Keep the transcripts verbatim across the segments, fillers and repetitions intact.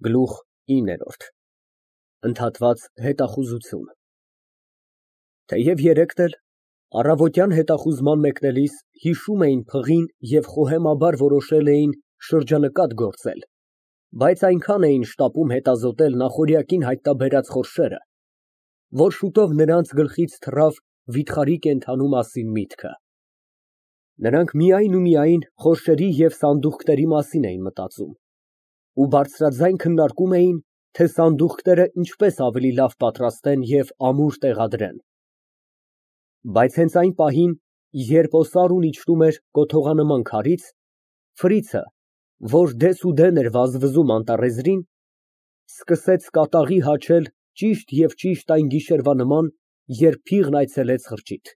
Գլուխ ինը ԱՆԴԱՏՎԱԾ ՀԵՏԱԽՈՒԶՈՒԹՅՈՒՆ Թեև երեքն էլ առավոտյան հետախուզման մեկնելիս հիշում էին փղին և խոհեմաբար որոշել էին շրջանկատ գործել, բայց այնքան էին շտապում հետազոտել նախօրյակին հայտնաբերած խորշերը, որ շուտով նրանց գլխից թռավ վիթխարի կենդանու մասին միտքը։ Նրանք միայն ու միայն խորշերի և սանդուղքների մասին էին մտածում ու բարձրաձայն քննարկում էին, թե սանդուղքները ինչպես ավելի լավ պատրաստեն և ամուր տեղադրեն։ Բայց հենց այն պահին, երբ օսարուն իջնում էր կոթողանման քարից, Ֆրիցը, որ դեսուդեն էր վազվզում անտառեզրին, սկսեց կատաղի հաչել ճիշտ և ճիշտ այն գիշերվա նման, երբ փիղն այցելեց խրճիթ։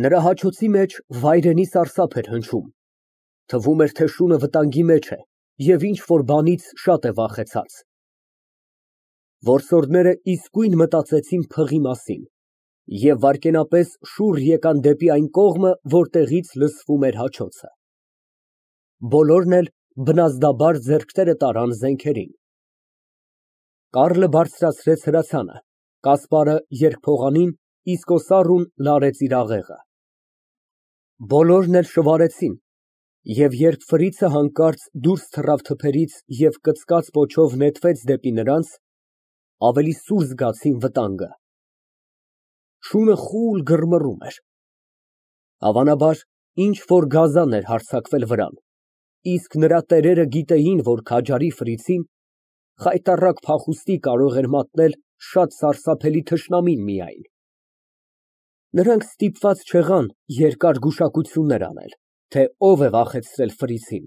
Նրա հաչոցի մեջ վայրենի սարսափ էր հնչում, թվում էր, թե շունը վտանգի մեջ է և ինչ֊որ բանից շատ է վախեցած։ Որսորդները իսկույն մտածեցին փղի մասին և վայրկենապես շուռ եկան դեպի այն կողմը, որտեղից լսվում էր հաչոցը։ Բոլորն էլ բնազդաբար ձեռքները տարան զենքերին։ Կարլը բարձրացրեց հրացանը, Կասպարը երկփողանին, իսկ օսառուն լարեց իր աղեղը։ Բոլորն էլ շվարեցին, և երբ Ֆրիցը հանկարծ դուրս թռավ թփերից և կծկած պոչով նետվեց դեպի նրանց, ավելի սուր զգացին վտանգը։ Շունը խուլ գրմռում էր։ Հավանաբար, ինչ֊որ գազան էր հարձակվել վրան, իսկ նրա տերերը գիտեին, որ քաջարի Ֆրիցին խայտառակ փախուստի կարող էր մատնել շատ սարսափելի թշնամին միայն։ Նրանք ստիպված չեղան երկար գուշակություններ անել, թե ով է վախեցրել Ֆրիցին։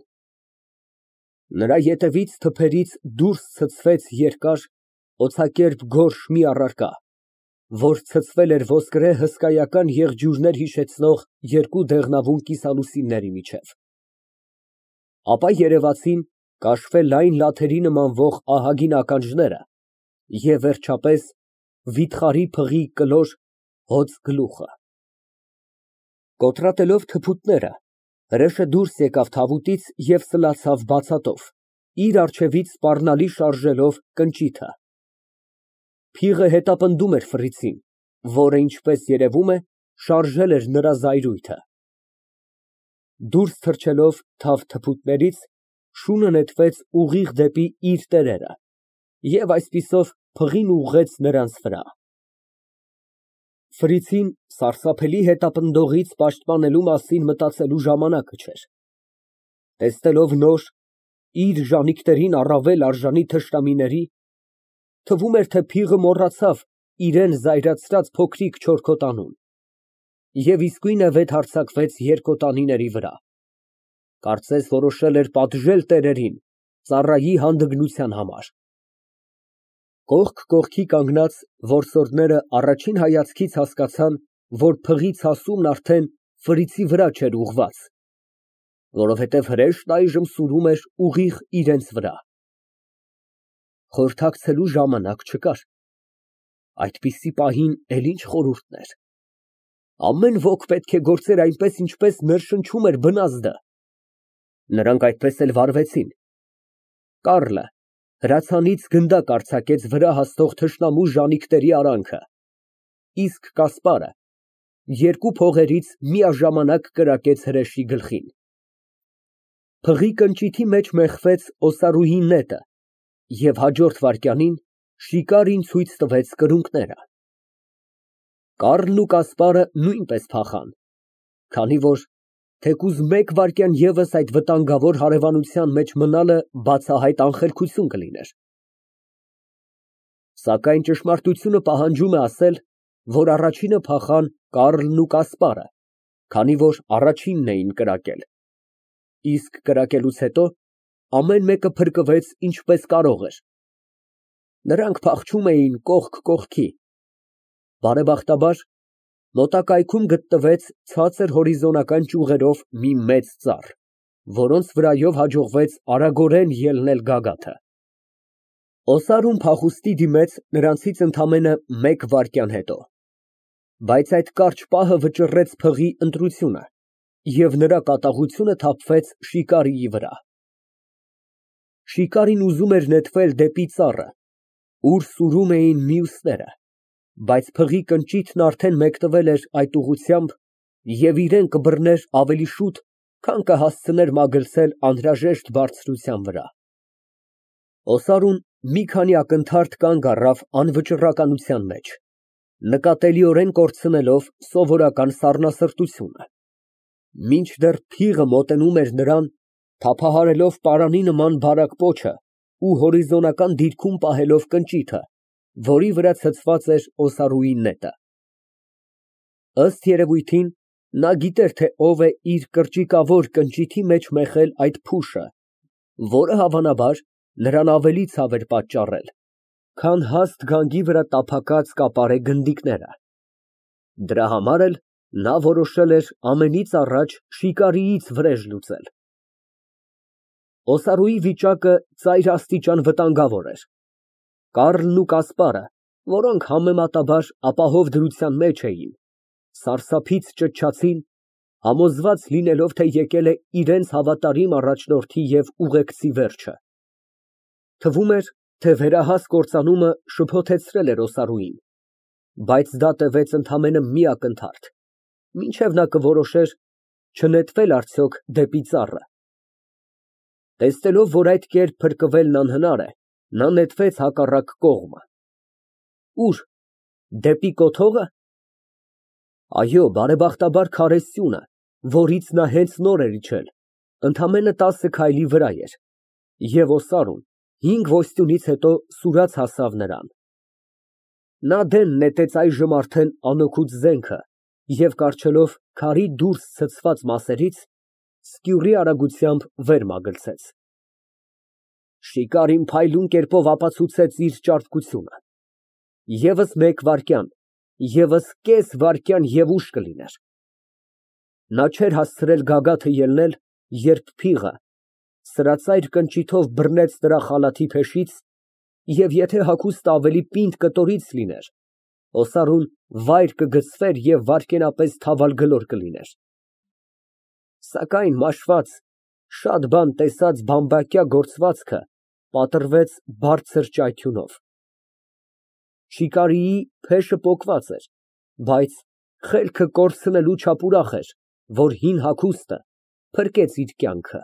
Նրա ետևից թփերից դուրս ցցվեց երկար, օձակերպ գորշ մի առարկա, որ ցցվել էր ոսկրե հսկայական եղջյուրներ հիշեցնող երկու դեղնավուն կիսալուսինների միջև։ Ապա երևացին կաշվե լայն լաթերի նմանվող ահագին ականջները և, վերջապես, վիթխարի փղի կլոր հոծ գլուխը։ Կոտրատելով թփուտները, հրեշը դուրս եկավ թավուտից և սլացավ բացատով, իր առջևից սպառնալի շարժելով կնճիթը։ Փիղը հետապնդում էր Ֆրիցին, որը, ինչպես երևում է, շարժել էր նրա զայրույթը։ Դուրս թռչելով թավ թփուտներից, շունը նետվեց ուղիղ դեպի իր տերերը և այսպիսով փղին ուղղեց նրանց վրա։ Ֆրիցին սարսափելի հետապնդողից պաշտպանելու մասին մտածելու ժամանակը չէր։ Տեսնելով նոր, իր ժանիքներին առավել արժանի թշնամիների, թվում էր, թե փիղը մոռացավ իրան զայրացրած փոքրիկ չորքոտանուն և իսկույնևեթ հարձակվեց երկոտանիների վրա, կարծես որոշել էր պատժել տերերին ծառայի հանդգնության համար։ Կողք կողքի կանգնած որսորդները առաջին հայացքից հասկացան, որ փղի ցասումն արդեն Ֆրիցի վրա չէր ուղղված, որովհետև հրեշն այժմ սուրում էր ուղիղ իրենց վրա։ Խորհրդակցելու ժամանակ չկար։ Այդպիսի պահին էլ ինչ խորհուրդներ։ Ամեն ոք պետք է գործեր այնպես, ինչպես ներշնչում էր բնազդը։ Նրանք այդպես էլ վարվեցին։ Կարլը հրացանից գնդակ արձակեց վրա հասնող թշնամու ժանիքների արանքը, իսկ Կասպարը երկու փողերից միաժամանակ կրակեց հրեշի գլխին։ Փղի կնճիթի մեջ մեխվեց օսարուհի նետը և հաջորդ վայրկյանին շիկարին ցույց տվեց կրունկները։ Կարլն ու Կասպարը նույնպես փախան, քանի որ թեկուզ մեկ վայրկյան ևս այդ վտանգավոր հարևանության մեջ մնալը բացահայտ անխելքություն կլիներ։ Սակայն ճշմարտությունը պահանջում է ասել, որ առաջինը փախան Կարլն ու Կասպարը, քանի որ առաջինն էին կրակել, իսկ կրակելուց հետո ամեն մեկը փրկվեց ինչպես կարող էր։ Նրանք փախչում էին կողք կողքի։ Բարեբախտաբար, մոտակայքում գտնվեց ցածր հորիզոնական ճյուղերով մի մեծ ծառ, որոնց վրայով հաջողվեց արագորեն ելնել գագաթը։ Օսարուն փախուստի դիմեց նրանցից ընդամենը մեկ վայրկյան հետո, բայց այդ կարճ պահը վճռեց փղի ընտրությունը, և նրա կատաղությունը թափվեց շիկարիի վրա։ Շիկարին ուզում էր նետվել դեպի ծառը, ուր սուրում էին մյուսները, բայց փղի կնճիթն արդեն մեկնվել էր այդ ուղղությամբ և իրան կբռներ ավելի շուտ, քան կհասցներ մագլցել անհրաժեշտ բարձրության վրա։ Օսարուն մի քանի ակնթարթ կանգ առավ անվճռականության մեջ, նկատելիորեն կորցնելով սովորական սառնասրտությունը, մինչդեռ փիղը մոտենում էր նրան, թափահարելով պարանի նման բարակ պոչը ու հորիզոնական դիրքում պահելով կնճիթը, որի վրա ցցված էր Օսարուի նետը։ Ըստ երևույթին, նա գիտեր, թե ով է իր կրճիկավոր կնճիթի մեջ մեխել այդ փուշը, որը, հավանաբար, նրան ավելի ցավ էր պատճառել, քան հաստ գանգի վրա տափակած կապարե գնդիկները։ Դրա համար էլ նա որոշել էր ամենից առաջ շիկարիից վրեժ լուծել։ Օսարուի վիճակը ծայրաստիճան վտանգավոր էր։ Կառլն ու Կասպարը, որոնք համեմատաբար ապահով դրության մեջ էին, սարսափից ճչացին, համոզված լինելով, թե եկել է իրենց հավատարիմ առաջնորդի և ուղեկցի վերջը։ Թվում էր, թե վերահաս կործանումը շփոթեցրել էր Օսարուին, բայց դա տևեց ընդամենը մի ակնթարթ, մինչև նա կորոշեր չնետվել արդյոք դեպի ծառը։ Տեսնելով, որ այդ կերպ փրկվելն անհնար է, նա նետվեց հակառակ կողմը։ Ո՞ւր, դեպի կոթողը։ Այո, բարեբախտաբար քարե սյունը, որից նա հենց նոր էր իջել, ընդամենը տասը քայլի վրա էր, և Օսարուն հինգ ոստյունից հետո սուրաց հասավ նրան։ Նա դեն նետեց այժմ արդեն անօգուտ զենքը և, կառչելով քարի դուրս ցցված մասերից, սկյուռի արագությամբ վեր մագլցեց։ Շիկարին փայլուն կերպով ապացուցեց իր ճարպկությունը։ ԵՒս մեկ վայրկյան, ևս կես վայրկյան և ուշ կլիներ։ Նա չէր հասցրել գագաթը ելնել, երբ փիղը սրածայր կնճիթով բռնեց նրա խալաթի փեշից և եթե հագուստը ավելի պինդ կտորից լիներ, Օսարուն վայր կգցվեր և վայրկենապես թավալ գլոր կլիներ։ Սակայն մաշված, շատ բան տեսած բամբակյա գործվածքը պատռվեց բարձր ճայթյունով։ Շիկարիի փեշը պոկված էր, բայց խելքը կորցնելու չափ ուրախ էր, որ հին հագուստը փրկեց իր կյանքը։